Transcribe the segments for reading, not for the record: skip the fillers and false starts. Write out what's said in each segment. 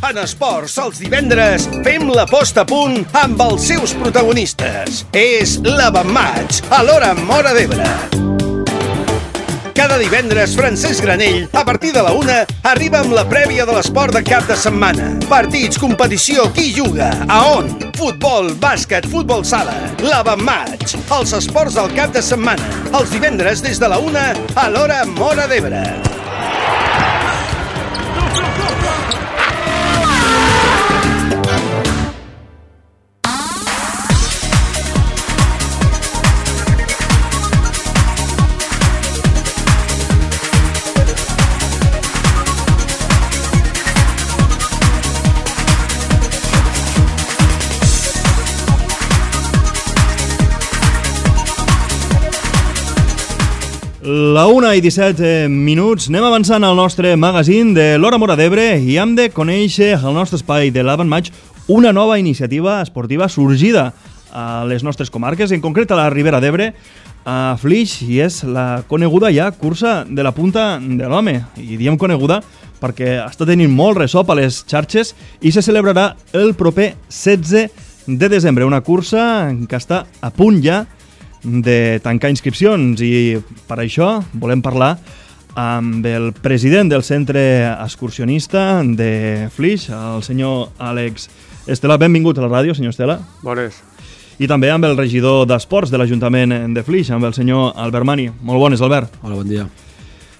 En esports, els divendres, fem la posta a punt amb els seus protagonistes. És l'Avantmatch, a l'hora Móra d'Ebre. Cada divendres, Francesc Granell, a partir de la 1, arriba amb la prèvia de l'esport de cap de setmana. Partits, competició, qui juga, a on? Futbol, bàsquet, futbol sala. L'Avantmatch, els esports del cap de setmana. Els divendres des de la 1, a l'hora Móra d'Ebre. La 1:17 minuts, anem avançant al nostre magazín de l'Hora Móra d'Ebre i hem de conèixer al nostre espai de l'Avantmatch una nova iniciativa esportiva sorgida a les nostres comarques, en concret a la Ribera d'Ebre, a Flix, i és la coneguda ja cursa de la punta de l'home. I diem coneguda perquè està tenint molt ressò a les xarxes i se celebrarà el proper 16 de desembre, una cursa que està a punt ja de tancar inscripcions, i per això volem parlar amb el president del centre excursionista de Flix, el senyor Àlex Estela. Benvingut a la ràdio, senyor Estela. Bones. I també amb el regidor d'Esports de l'Ajuntament de Flix, amb el senyor Albert Mani. Molt bones, Albert. Hola, bon dia.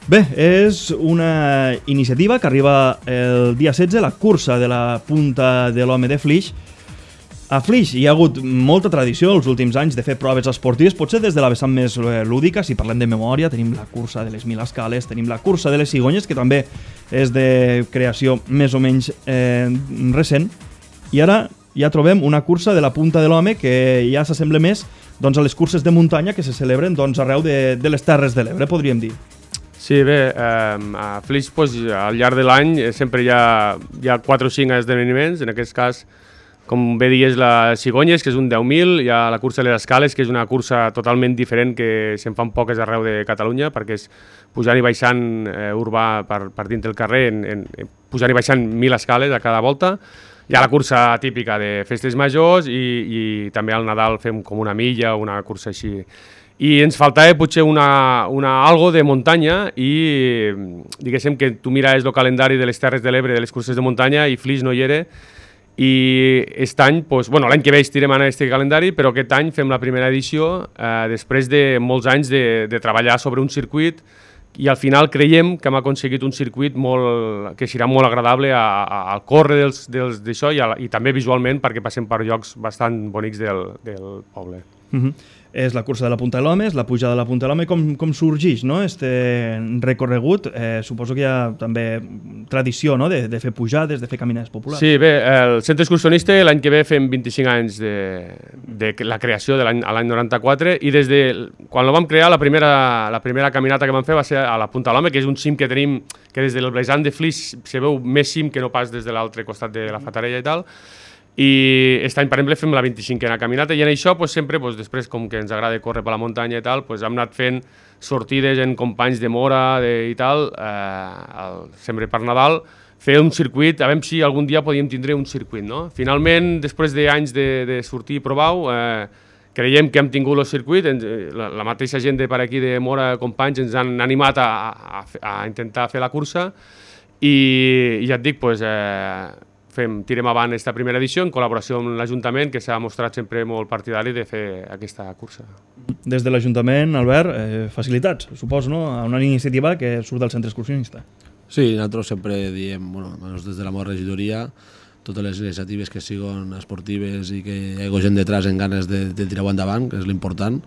Bé, és una iniciativa que arriba el dia 16, la cursa de la punta de l'home de Flix. A Flix hi ha hagut molta tradició els últims anys de fer proves esportives, potser des de la vessant més lúdica. Si parlem de memòria, tenim la cursa de les 1000 escales, tenim la cursa de les cigonyes, que també és de creació més o menys recent, i ara ja trobem una cursa de la punta de l'home que ja s'assembla més doncs, a les curses de muntanya que se celebren doncs, arreu de les Terres de l'Ebre, podríem dir. Sí, bé, a Flix al llarg de l'any sempre hi ha 4 o 5 esdeveniments. En aquest cas, com bé dius, la Cigonyes, que és un 10.000, hi ha la cursa de les escales, que és una cursa totalment diferent que se'n fan poques arreu de Catalunya, perquè és pujant i baixant urbà per dins del carrer, pujant i baixant 1.000 escales a cada volta. Hi ha la cursa típica de festes majors i també al Nadal fem com una milla o una cursa així. I ens faltava potser algo de muntanya i diguéssim que tu mires el calendari de les Terres de l'Ebre, de les curses de muntanya, i Flix no hi era. I aquest any, l'any que ve estirem en aquest calendari, però aquest any fem la primera edició després de molts anys de treballar sobre un circuit, i al final creiem que hem aconseguit un circuit que serà molt agradable al córrer d'això i també visualment, perquè passem per llocs bastant bonics del poble. És la cursa de la punta de l'home, és la pujada de la punta de l'home. Com sorgeix, no?, este recorregut? Suposo que hi ha també tradició, no?, de fer pujades, de fer caminades populars. Sí, bé, el centre excursionista l'any que ve fem 25 anys de la creació de l'any 94, i des de quan el vam crear la primera caminata que vam fer va ser a la punta de l'home, que és un cim que tenim, que des del Blejant de Flix se veu més cim que no pas des de l'altre costat de la Fatarella i tal. I aquest any, per exemple, fem la 25a caminata, i en això sempre, després, com que ens agrada córrer per la muntanya i tal, hem anat fent sortides en companys de Mora i tal, sempre per Nadal, fer un circuit, a veure si algun dia podíem tindre un circuit, no? Finalment, després d'anys de sortir i provar-ho, creiem que hem tingut el circuit, la mateixa gent de per aquí de Mora, companys, ens han animat a intentar fer la cursa, i ja et dic, tirem avant aquesta primera edició en col·laboració amb l'Ajuntament, que s'ha mostrat sempre molt partidari de fer aquesta cursa. Des de l'Ajuntament, Albert, facilitats, suposo, no?, a una iniciativa que surt del centre excursionista. Sí, nosaltres sempre diem, des de la meva regidoria, totes les iniciatives que siguin esportives i que hi hagi gent detrás en ganes de tirar-ho endavant, que és l'important,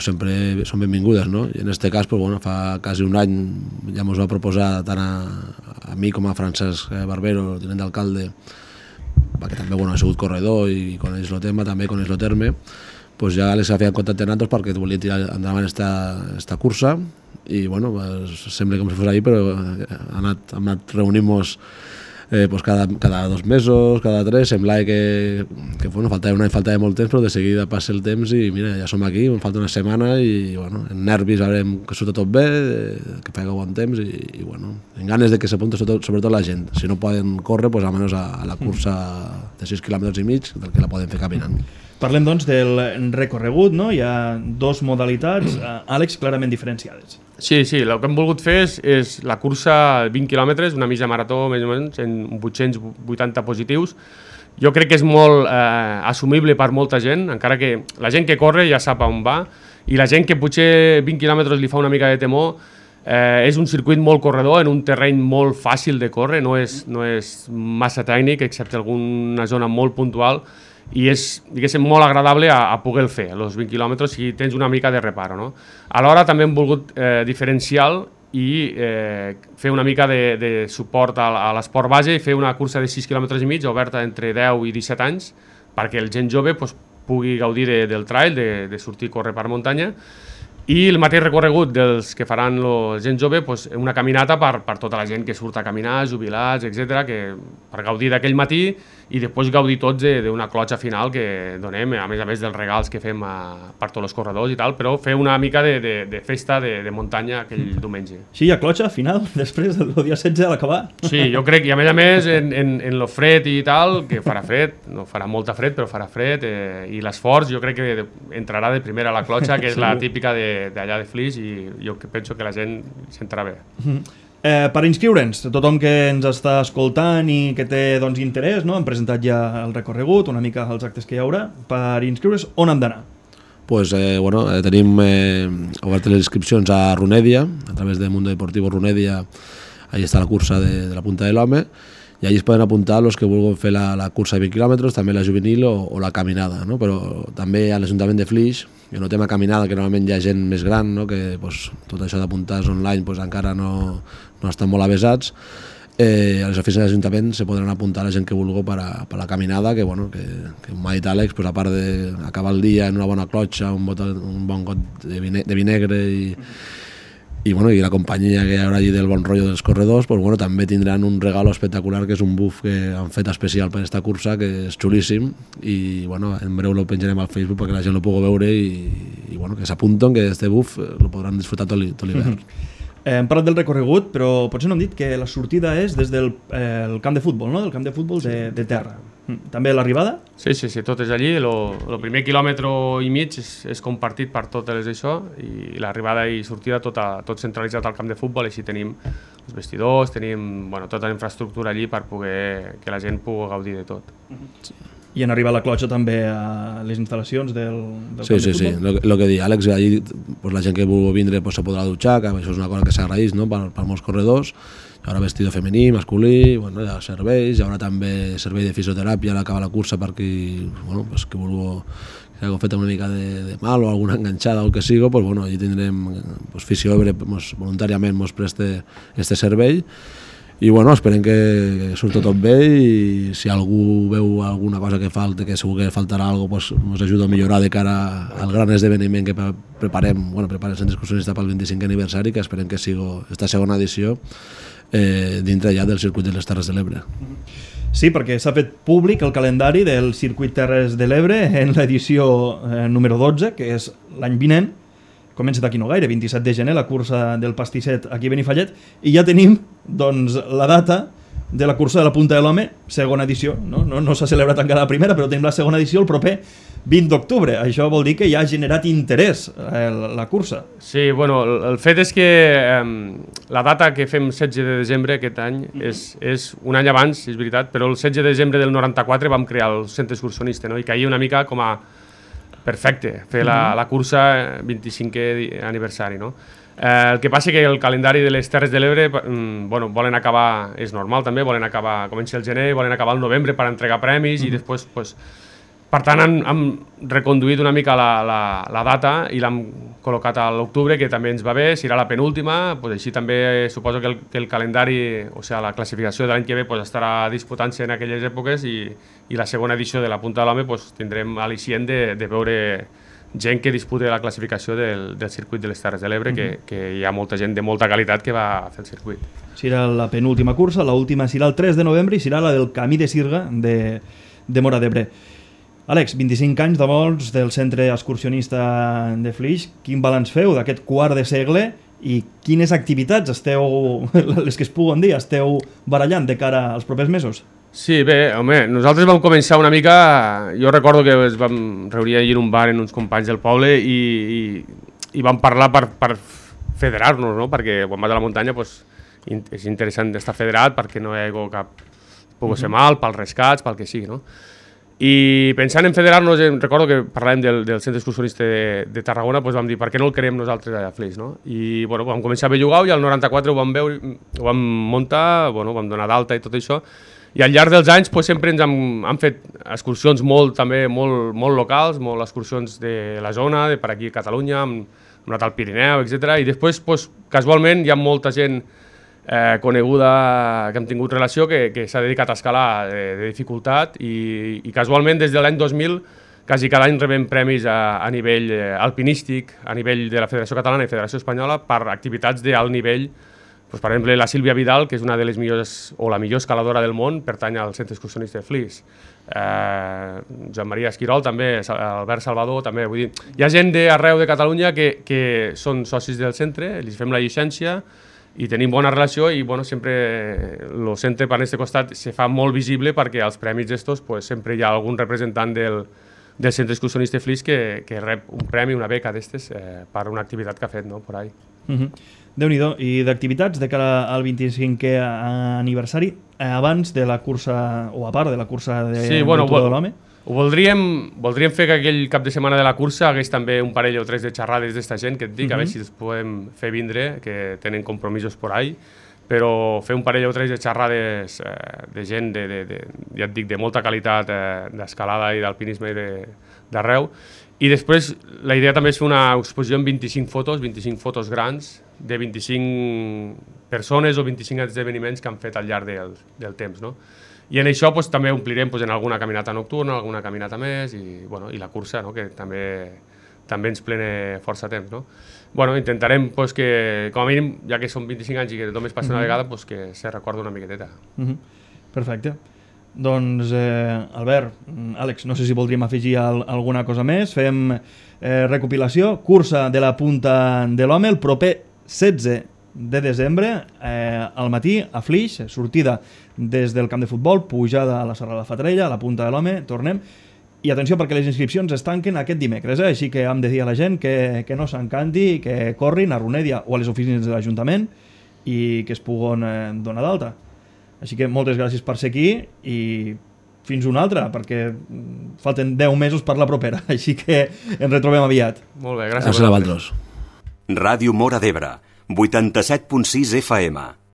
sempre són benvingudes, no? I en aquest cas, fa quasi un any ja ens va proposar tant a mi com a Francesc Barbero, el tinent d'alcalde, que també ha sigut corredor i coneix el tema, també coneix el terme, ja les ha fet contacte amb nosaltres perquè volia tirar endavant aquesta cursa, i sembla com si fos ahir, però hem anat reunint-nos pues cada 2 mesos, cada 3, semblava que bueno, faltava molt temps, però de seguida passa el temps i mira, ja som aquí, ens falta una setmana i bueno, en nervis veurem que surta tot bé, que faci bon temps i bueno, en ganes de que s'apunta sobretot la gent. Si no poden córrer, pues almenys a la cursa de 6 quilòmetres i mig, del que la poden fer caminant. Parlem doncs del recorregut, no? Hi ha 2 modalitats, Àlex, clarament diferenciades. Sí, el que hem volgut fer és la cursa 20 quilòmetres, una mitja marató més o menys, en 880 positius. Jo crec que és molt assumible per molta gent, encara que la gent que corre ja sap on va, i la gent que potser 20 quilòmetres li fa una mica de temor, és un circuit molt corredor, en un terreny molt fàcil de córrer, no és massa tècnic, excepte alguna zona molt puntual, i és, diguéssim, molt agradable a poder fer, els 20 quilòmetres, si tens una mica de reparo, no? Alhora també hem volgut diferenciar i fer una mica de suport a l'esport base i fer una cursa de 6 quilòmetres i mig oberta entre 10 i 17 anys perquè el gent jove pugui gaudir del trail, de sortir a córrer per muntanya, i el mateix recorregut dels que faran la gent jove, una caminata per tota la gent que surt a caminar, jubilats, etc, per gaudir d'aquell matí i després gaudir tots d'una clotxa final que donem, a més dels regals que fem per tots els corredors i tal, però fer una mica de festa de muntanya aquell diumenge. Sí, hi ha clotxa final, després del dia 16 a l'acabar. Sí, jo crec, i a més en lo fred i tal, que farà fred, no farà molta fred, però farà fred, i l'esforç jo crec que entrarà de primera a la clotxa, que és la típica d'allà de Flix, i jo penso que la gent s'entrarà bé. Per inscriure'ns, tothom que ens està escoltant i que té interès, no? Hem presentat ja el recorregut, una mica els actes que hi haurà. Per inscriure's, on hem d'anar? Pues, tenim obertes les inscripcions a Runedia, a través de Mundo Deportivo Runedia, allà està la cursa de la Punta de l'Home, i allí es poden apuntar els que vulguin fer la cursa de 20 quilòmetres, també la juvenil o la caminada, no? Però també a l'Ajuntament de Flix, que no tema caminada, que normalment hi ha gent més gran, no? Que tot això d'apuntar online encara no estan molt avesats. A les oficines de l'Ajuntament se podran apuntar la gent que vulgui per a la caminada, que m'ha dit Àlex, a part d'acabar el dia en una bona clotxa, un bon got de vi negre i la companyia que hi haurà allí del bon rotllo dels corredors, també tindran un regalo espectacular, que és un buff que han fet especial per aquesta cursa, que és xulíssim, i en breu lo penjarem al Facebook perquè la gent lo pugui veure i que s'apunten, que este buff lo podran disfrutar tot l'hivern. Hem parlat del recorregut, però potser no hem dit que la sortida és des del camp de futbol, no? Del camp de futbol de terra. També l'arribada? Sí, tot és allí. El primer quilòmetre i mig és compartit per totes això, i l'arribada i sortida tot centralitzat al camp de futbol, així tenim els vestidors, tenim tota la infraestructura allí per poder que la gent pugui gaudir de tot. I en arribar a la clotxa també a les instal·lacions del camp de futbol? Sí, el que diu Àlex, allí la gent que vulgui vindre se podrà dutxar, que això és una cosa que s'agraeix per molts corredors. Hi haurà vestido femení, masculí, hi ha serveis, hi haurà també servei de fisioteràpia a l'acabar la cursa per qui vulgui que hagi fet una mica de mal o alguna enganxada o el que sigui, allí tindrem Fisioebre voluntàriament ens presta aquest servei. I esperem que surti tot bé, i si algú veu alguna cosa que falta, que segur que faltarà alguna cosa, ens ajuda a millorar de cara al gran esdeveniment que preparem el Centre Excursionista pel 25è aniversari, que esperem que sigui aquesta segona edició dintre ja del circuit de les Terres de l'Ebre. Sí, perquè s'ha fet públic el calendari del circuit Terres de l'Ebre en l'edició número 12, que és l'any vinent. Comença d'aquí no gaire, 27 de gener, la cursa del pastisset aquí a Benifallet, i ja tenim la data de la cursa de la Punta de l'Home, segona edició. No s'ha celebrat encara la primera, però tenim la segona edició el proper 20 d'octubre. Això vol dir que ja ha generat interès la cursa. Sí, el fet és que la data que fem 16 de desembre aquest any és un any abans, és veritat, però el 16 de desembre del 94 vam crear el Centre Excursionista, i caia una mica com a perfecte fer la cursa 25è aniversari, no? El que passa que el calendari de les Terres de l'Ebre volen acabar, és normal també, comença el gener, volen acabar el novembre per entregar premis, i després, per tant, han reconduït una mica la data i l'han col·locat a l'octubre, que també ens va bé, serà la penúltima, així també suposo que el calendari, o sigui, la classificació de l'any que ve estarà disputant-se en aquelles èpoques, i la segona edició de la Punta de l'Home tindrem al·licient de veure gent que disputa la classificació del circuit de les Terres de l'Ebre, que hi ha molta gent de molta qualitat que va fer el circuit. Serà la penúltima cursa, l'última serà el 3 de novembre i serà la del Camí de Sirga de Móra d'Ebre. Àlex, 25 anys de vols del centre excursionista de Flix. Quin balanç feu d'aquest quart de segle i quines activitats esteu, les que es puguen dir, esteu barallant de cara als propers mesos? Sí, bé, home, nosaltres vam començar una mica... Jo recordo que ens vam reunir allà en un bar amb uns companys del poble i vam parlar per federar-nos, no? Perquè quan vas a la muntanya pues, és interessant estar federat perquè no hi ha cap... pugui ser mal, pels rescats, pel que sigui, no? I pensant en federar-nos, recordo que parlàvem del centre excursionista de Tarragona, doncs vam dir, per què no el creem nosaltres a Flix, no? I bueno, vam començar a bellugar i al 94 ho vam veure, ho vam muntar, bueno, vam donar d'alta i tot això, i al llarg dels anys doncs, sempre ens han fet excursions molt locals, molt excursions de la zona, de per aquí a Catalunya, hem anat al Pirineu, etc. I després, doncs, casualment, hi ha molta gent coneguda que hem tingut relació que s'ha dedicat a escalar de dificultat i casualment des de l'any 2000 quasi cada any rebem premis a nivell alpinístic, a nivell de la Federació Catalana i Federació Espanyola per activitats d'alt nivell. Pues, per exemple, la Sílvia Vidal, que és una de les millors o la millor escaladora del món, pertany al centre excursionista de Flix. Joan Maria Esquirol també, Albert Salvador també. Vull dir, hi ha gent d'arreu de Catalunya que són socis del centre, els fem la llicència i tenim bona relació i bueno, sempre el centre per aquest costat se fa molt visible perquè als premis d'estos pues, sempre hi ha algun representant del centre excursionista de Flix que rep un premi, una beca d'estes per una activitat que ha fet, no? Por ahí. Déu-n'hi-do. I d'activitats de cara al 25è aniversari abans de la cursa o a part de la cursa de Tour de l'Home? Ho voldríem fer que aquell cap de setmana de la cursa hagués també un parell o tres de xerrades d'esta gent que et dic, a veure si els podem fer vindre, que tenen compromisos por ahí, però fer un parell o tres de xerrades de gent, ja et dic, de molta qualitat d'escalada i d'alpinisme d'arreu. I després la idea també és fer una exposició amb 25 fotos grans, de 25 persones o 25 esdeveniments que han fet al llarg del temps, no? I en això pues, també omplirem pues, en alguna caminata nocturna, alguna caminata més i, bueno, i la cursa, no? Que també ens plena força temps. No? Bueno, intentarem pues, que, com a mínim, ja que són 25 anys i que només passa una vegada, pues, que se recorda una miqueteta. Perfecte. Doncs, Albert, Àlex, no sé si voldríem afegir alguna cosa més. Fem recopilació, cursa de la Punta de l'Home el proper 16 de desembre, al matí, a Flix, sortida des del camp de futbol, pujada a la Serra de la Fatarella, a la Punta de l'Home, tornem. I atenció, perquè les inscripcions es tanquen aquest dimecres, així que hem de dir a la gent que no s'encanti, que corrin a Runèdia o a les oficines de l'Ajuntament i que es puguen donar d'alta. Així que moltes gràcies per ser aquí i fins una altra, perquè falten 10 mesos per la propera, així que ens retrobem aviat. Molt bé, gràcies. Gràcies a vosaltres. Ràdio Móra d'Ebre, 87.6 FM.